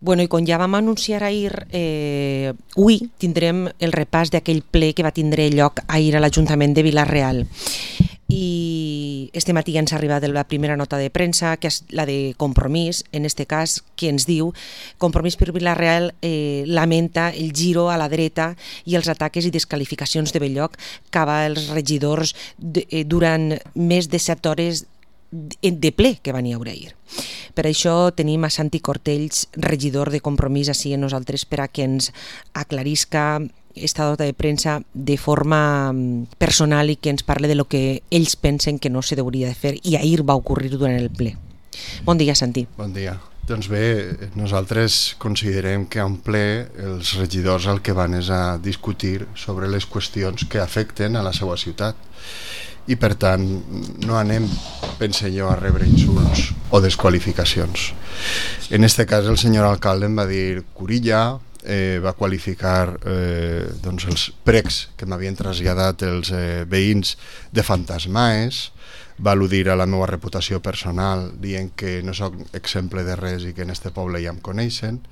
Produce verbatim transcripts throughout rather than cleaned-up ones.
Bueno, i com ja vam anunciar ahir, eh, avui tindrem el repàs d'aquell ple que va tindre lloc ahir a l'Ajuntament de Vila-real. I este matí ja ens ha arribat la primera nota de premsa, que és la de Compromís, en este cas, que ens diu Compromís per Vila-real eh, lamenta el giro a la dreta i els ataques i desqualificacions de Belloc cap als regidors de, eh, durant més de set hores de ple que van hi haure ahir. Per això tenim a Santi Cortells, regidor de Compromís, així a nosaltres per a que ens aclarisca esta nota de premsa de forma personal i que ens parle de lo que ells pensen que no se hauria de fer i ahir va ocórrer durant el ple. Bon dia, Santi. Bon dia. Doncs bé, nosaltres considerem que a un ple els regidors el que van és a discutir sobre les qüestions que afecten a la seva ciutat. I per tant no anem, pense jo, a rebre insults o desqualificacions. En este cas el senyor alcalde em va dir curilla, eh, va qualificar eh, doncs els precs que m'havien traslladat els eh, veïns de fantasmaes, va al·ludir a la meva reputació personal dient que no soc exemple de res i que en este poble ja em coneixen.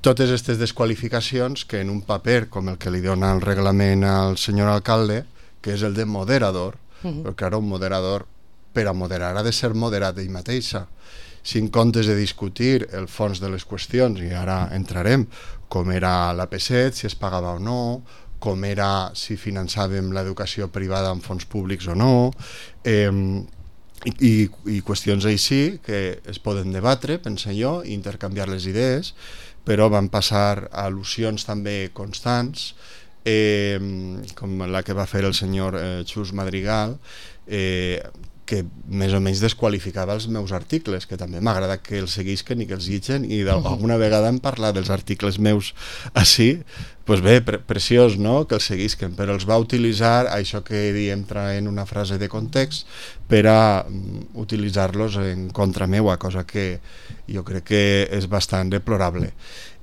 Totes aquestes desqualificacions que en un paper com el que li dona el reglament al senyor alcalde, que és el de moderador, uh-huh. perquè ara un moderador, per a moderar, ha de ser moderat ell mateixa. Si en comptes de discutir el fons de les qüestions, i ara entrarem, com era l'A P set, si es pagava o no, com era si finançàvem l'educació privada amb fons públics o no, eh, i, i qüestions així que es poden debatre, pense jo, i intercanviar les idees, però van passar al·lusions també constants, Eh, com la que va fer el senyor eh, Xus Madrigal, eh, que més o menys desqualificava els meus articles, que també m'agrada que els seguisquen i que els llitgen, i alguna vegada hem parlat dels articles meus així, doncs bé, pre preciós, no?, que els seguisquen, però els va utilitzar, això que diem traient una frase de context, per a um, utilitzar-los en contra meua, cosa que jo crec que és bastant deplorable.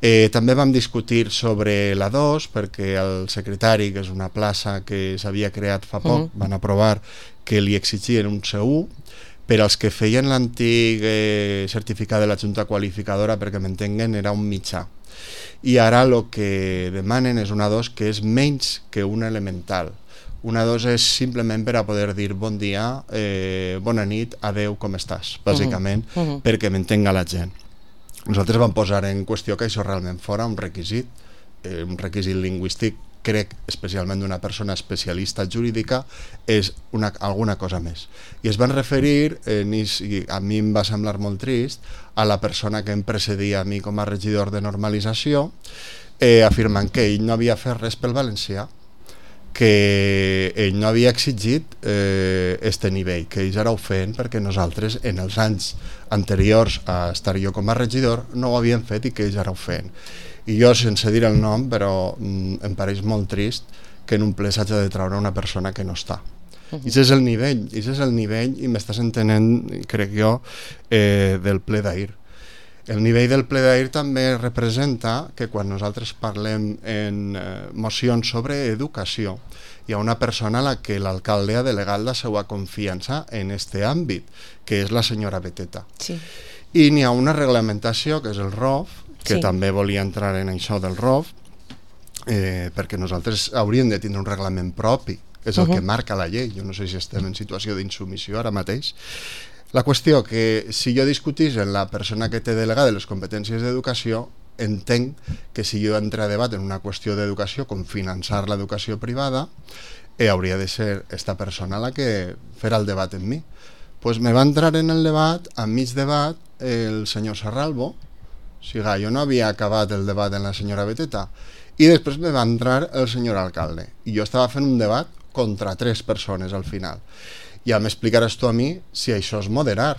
Eh, també vam discutir sobre la dos, perquè el secretari, que és una plaça que s'havia creat fa poc, uh-huh. van aprovar que li exigien un C u per als que feien l'antic eh, certificat de la Junta Qualificadora, perquè m'entenguen, era un mitjà. I ara el que demanen és una dos que és menys que una elemental. Una dos és simplement per a poder dir bon dia, eh, bona nit, adeu, com estàs, bàsicament, uh-huh. Uh-huh. perquè m'entenga la gent. Nosaltres vam posar en qüestió que això realment fora un requisit, eh, un requisit lingüístic, crec, especialment d'una persona especialista jurídica, és una, alguna cosa més. I es van referir, eh, i a mi em va semblar molt trist, a la persona que em precedia a mi com a regidor de normalització, eh, afirmant que ell no havia fet res pel valencià, que ell no havia exigit eh, este nivell, que ells ara ho feien perquè nosaltres en els anys anteriors a estar jo com a regidor no ho havien fet i que ells ara ho feien. I jo, sense dir el nom, però mm, em pareix molt trist que en un ple s'hagi de treure una persona que no està. Uh-huh. I això és el nivell, i això és el nivell, i m'estàs entenent, crec jo, eh, del ple d'ahir. El nivell del ple d'ahir també representa que quan nosaltres parlem en eh, mocions sobre educació, hi ha una persona a la que l'alcalde ha delegat la seva confiança en este àmbit, que és la senyora Beteta. Sí. I n'hi ha una reglamentació, que és el R O F, que sí. també volia entrar en això del R O F, eh, perquè nosaltres hauríem de tindre un reglament propi, que és el uh-huh. que marca la llei. Jo no sé si estem en situació d'insubmissió ara mateix. La qüestió que si jo discutís amb la persona que té delegada les competències d'educació, entenc que si jo entro a debat en una qüestió d'educació com finançar l'educació privada, eh, hauria de ser esta persona la que farà el debat en mi. Pues me va entrar en el debat, a mig debat, el senyor Serralbo, o sigui, jo no havia acabat el debat en la senyora Beteta, i després me va entrar el senyor alcalde, i jo estava fent un debat contra tres persones al final. Ja m'explicaràs tu a mi si això és moderar.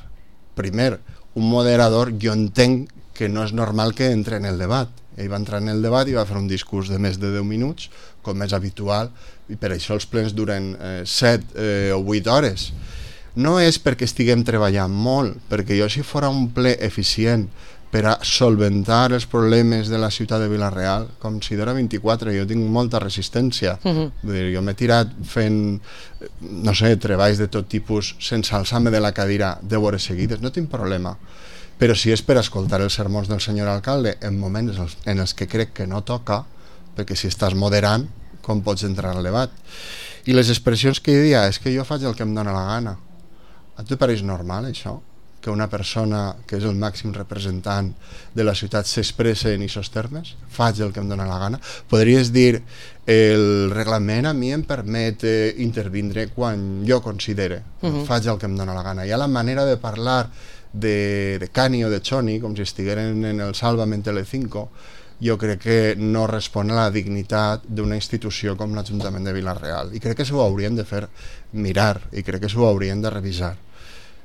Primer, un moderador jo entenc que no és normal que entre en el debat. Ell va entrar en el debat i va fer un discurs de més de deu minuts, com és habitual, i per això els plens duren eh, set eh, o vuit hores. No és perquè estiguem treballant molt, perquè jo si fora un ple eficient per a solventar els problemes de la ciutat de Vila-real, com si d'hora vint-i-quatre, jo tinc molta resistència. Uh-huh. Vull dir, jo m'he tirat fent, no sé, treballs de tot tipus sense alçar-me de la cadira deu hores seguides, no tinc problema. però si és per escoltar els sermons del senyor alcalde en moments en els que crec que no toca, perquè si estàs moderant, com pots entrar al debat? I les expressions que hi dia és que jo faig el que em dóna la gana. A tu pareix normal, això? Que una persona que és el màxim representant de la ciutat s'expressa en aquests termes? Faig el que em dóna la gana? Podries dir, el reglament a mi em permet eh, intervindre quan jo considere. Uh-huh. Faig el que em dóna la gana. Hi ha la manera de parlar de, de Cani o de Choni, com si estigueren en el Sálvame en Telecinco, jo crec que no respon a la dignitat d'una institució com l'Ajuntament de Vila-real. I crec que s'ho haurien de fer mirar, i crec que s'ho haurien de revisar.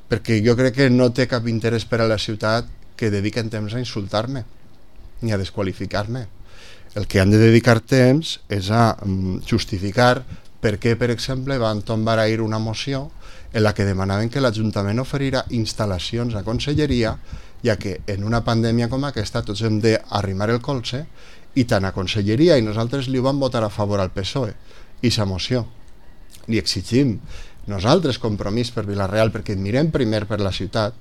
Perquè jo crec que no té cap interès per a la ciutat que dediquen temps a insultar-me ni a desqualificar-me. El que han de dedicar temps és a justificar per què, per exemple, van tombar ahir una moció en la que demanaven que l'Ajuntament oferirà instal·lacions a Conselleria, ja que en una pandèmia com aquesta tots hem d'arrimar el colze, i tant a Conselleria i nosaltres li ho vam votar a favor al P S O E, i sa moció. Li exigim nosaltres compromís per Vila-real, perquè et mirem primer per la ciutat,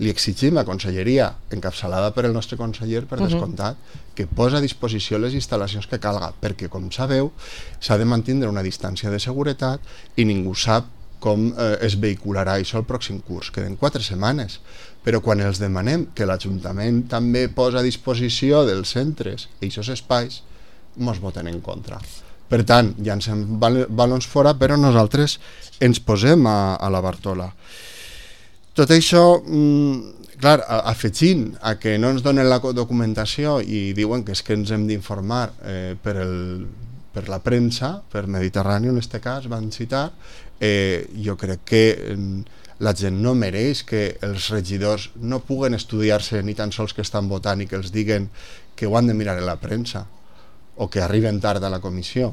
li exigim a Conselleria, encapçalada per el nostre conseller, per descomptat, uh-huh. que posa a disposició les instal·lacions que calga, perquè, com sabeu, s'ha de mantenir una distància de seguretat i ningú sap com eh, es vehicularà això el pròxim curs. Queden quatre setmanes, però quan els demanem que l'Ajuntament també posa a disposició dels centres i aquests espais, mos voten en contra. Per tant, llancem bal balons fora, però nosaltres ens posem a, a la Bartola. Tot això, mmm, clar, afegint a que no ens donen la documentació i diuen que és que ens hem d'informar eh, per, el, per la premsa, per Mediterrani en aquest cas, van citar, eh, jo crec que eh, la gent no mereix que els regidors no puguen estudiar-se ni tan sols que estan votant i que els diguen que ho han de mirar a la premsa o que arriben tard a la comissió.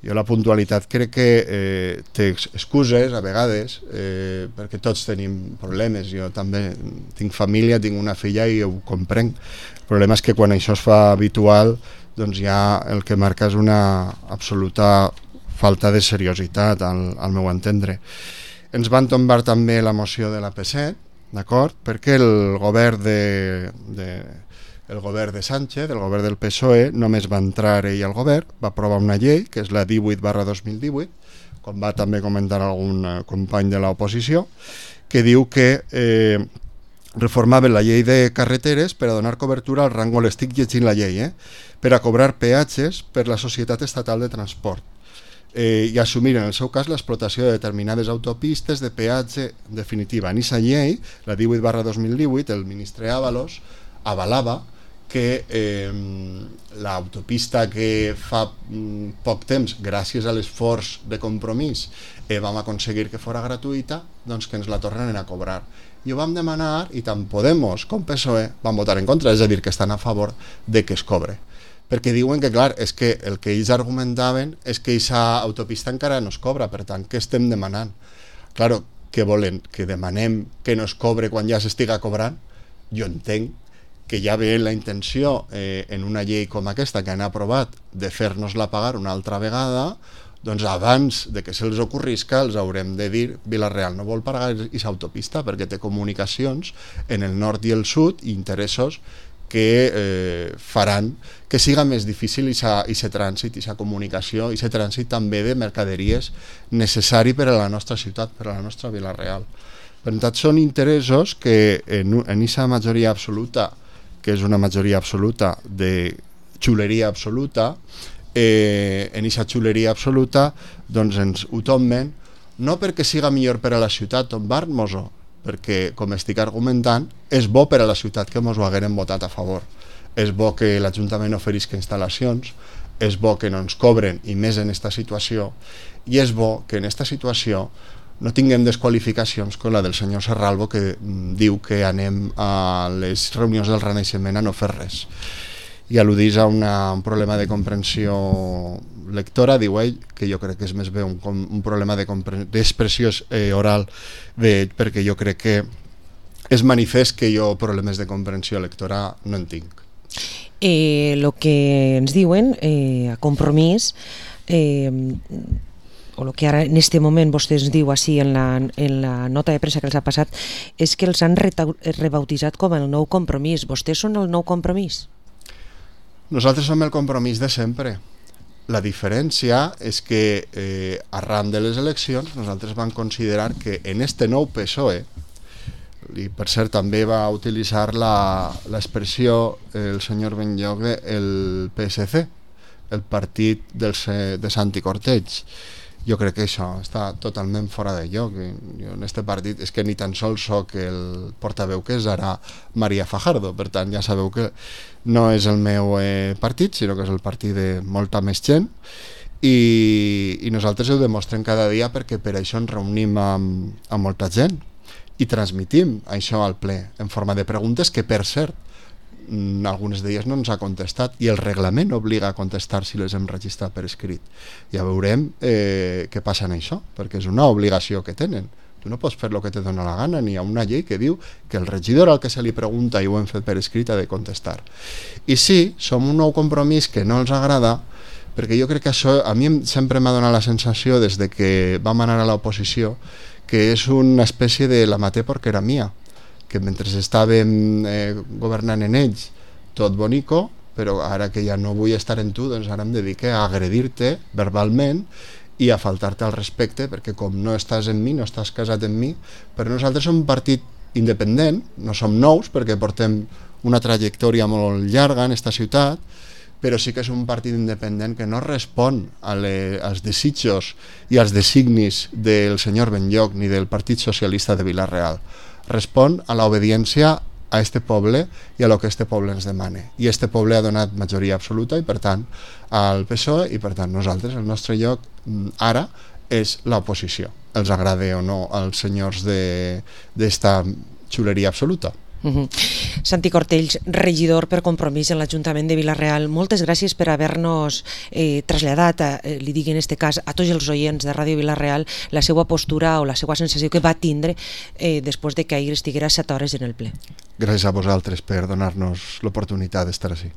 Jo la puntualitat crec que eh, té excuses a vegades, eh, perquè tots tenim problemes. Jo també tinc família, tinc una filla i ho comprenc. El problema és que quan això es fa habitual, doncs ja el que marca és una absoluta falta de seriositat, al, al meu entendre. Ens van tombar també la moció de la P set, d'acord? Perquè el govern de... de el govern de Sánchez, el govern del P S O E, només va entrar ell al govern, va aprovar una llei, que és la divuit barra dos mil divuit, com va també comentar algun company de l'oposició, que diu que eh, reformaven la llei de carreteres per a donar cobertura al rango, l'estic llegint la llei, eh? per a cobrar peatges per la Societat Estatal de Transport eh, i assumir en el seu cas l'explotació de determinades autopistes de peatge definitiva. En aquesta llei, la divuit barra dos mil divuit, el ministre Ábalos avalava que eh, l'autopista que fa mm, poc temps, gràcies a l'esforç de compromís, eh, vam aconseguir que fora gratuïta, doncs que ens la tornen a cobrar. I ho vam demanar i tant Podemos com P S O E van votar en contra, és a dir, que estan a favor de que es cobre. Perquè diuen que, clar, és que el que ells argumentaven és que aquesta autopista encara no es cobra, per tant, què estem demanant? Claro, què volen? Que demanem que no es cobre quan ja s'estiga cobrant? Jo entenc que ja ve la intenció eh, en una llei com aquesta que han aprovat de fer-nos-la pagar una altra vegada, doncs abans de que se'ls ocorrisca els haurem de dir Vila-real no vol pagar aquesta autopista perquè té comunicacions en el nord i el sud i interessos que eh, faran que siga més difícil aquest trànsit, aquesta comunicació, aquest trànsit també de mercaderies necessari per a la nostra ciutat, per a la nostra Vila-real. Per tant, són interessos que en aquesta majoria absoluta, que és una majoria absoluta de xuleria absoluta, eh, en aquesta xuleria absoluta doncs ens ho tomben, no perquè siga millor per a la ciutat tombar-nos-ho, perquè, com estic argumentant, és bo per a la ciutat que ens ho hagueren votat a favor. És bo que l'Ajuntament oferisca instal·lacions, és bo que no ens cobren, i més en aquesta situació, i és bo que en aquesta situació no tinguem desqualificacions com la del senyor Serralvo, que mm, diu que anem a les reunions del Renaixement a no fer res. I al·ludís a una, un problema de comprensió lectora, diu ell, que jo crec que és més bé un, un problema d'expressió eh, oral de, perquè jo crec que és manifest que jo problemes de comprensió lectora no en tinc. Eh, lo que ens diuen eh, a Compromís, eh, o el que ara en este moment vostè ens diu així en la, en la nota de premsa que els ha passat, és que els han rebautitzat com el nou compromís. Vostès són el nou compromís? Nosaltres som el compromís de sempre. La diferència és que eh, arran de les eleccions nosaltres vam considerar que en este nou P S O E, i per cert també va utilitzar l'expressió el senyor Benlloc, el P S C, el partit dels, de Santi Corteig. Jo crec que això està totalment fora de lloc. Jo en este partit és que ni tan sols soc el portaveu que és ara María Fajardo, per tant ja sabeu que no és el meu eh, partit, sinó que és el partit de molta més gent, i, i nosaltres ho demostrem cada dia perquè per això ens reunim amb, amb molta gent i transmitim això al ple en forma de preguntes que, per cert, algunes d'elles no ens ha contestat i el reglament obliga a contestar si les hem registrat per escrit. Ja veurem eh, què passa en això, perquè és una obligació que tenen. Tu no pots fer el que te dona la gana, ni hi ha una llei que diu que el regidor al que se li pregunta i ho hem fet per escrit ha de contestar. I sí, som un nou compromís que no els agrada, perquè jo crec que això a mi sempre m'ha donat la sensació des de que vam anar a l'oposició que és una espècie de la maté porque era mía, que mentre estàvem eh, governant en ells tot bonico, però ara que ja no vull estar en tu, doncs ara em dedique a agredir-te verbalment i a faltar-te al respecte, perquè com no estàs en mi, no estàs casat en mi. Però nosaltres som un partit independent, no som nous perquè portem una trajectòria molt llarga en esta ciutat, però sí que és un partit independent que no respon a le, als desitjos i als designis del senyor Benlloc ni del Partit Socialista de Vila-real. Respon a l'obediència a este poble i a lo que este poble ens demane. I este poble ha donat majoria absoluta i per tant al P S O E, i per tant nosaltres, el nostre lloc ara és l'oposició. Els agrade o no als senyors d'esta xuleria absoluta. Uh-huh. Santi Cortells, regidor per Compromís en l'Ajuntament de Vila-real, moltes gràcies per haver-nos eh, traslladat, a, eh, li digui en este cas, a tots els oients de Ràdio Vila-real la seva postura o la seva sensació que va tindre eh, després de que ahir estiguera set hores en el ple. Gràcies a vosaltres per donar-nos l'oportunitat d'estar així.